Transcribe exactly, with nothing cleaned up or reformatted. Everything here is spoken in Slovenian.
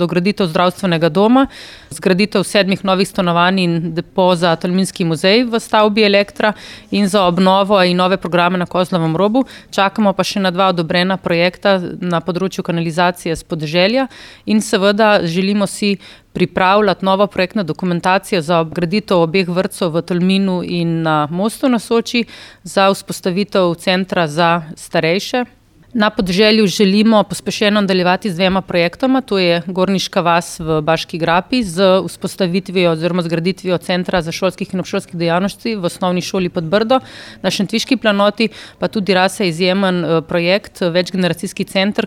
dograditev zdravstvenega doma, zgraditev sedmih novih stanovanj in depo za Tolminski muzej v stavbi Elektra in za obnovo in nove programe na Kozlovem robu. Čakamo pa še na dva odobrena projekta na področju kanalizacije s podeželja in seveda želimo si pripravljati novo projektno dokumentacijo za obgraditev obeh vrtcev v Tolminu in na Mostu na Soči za vzpostavitev centra za starejše. Na podeželju želimo pospešeno nadaljevati z dvema projektoma, to je Gorniška vas v Baški grapi z vzpostavitvijo oziroma zgraditvijo centra za šolskih in obšolskih dejavnosti v osnovni šoli Podbrdo. Na Šentviški planoti pa tudi rase izjemen projekt, večgeneracijski center,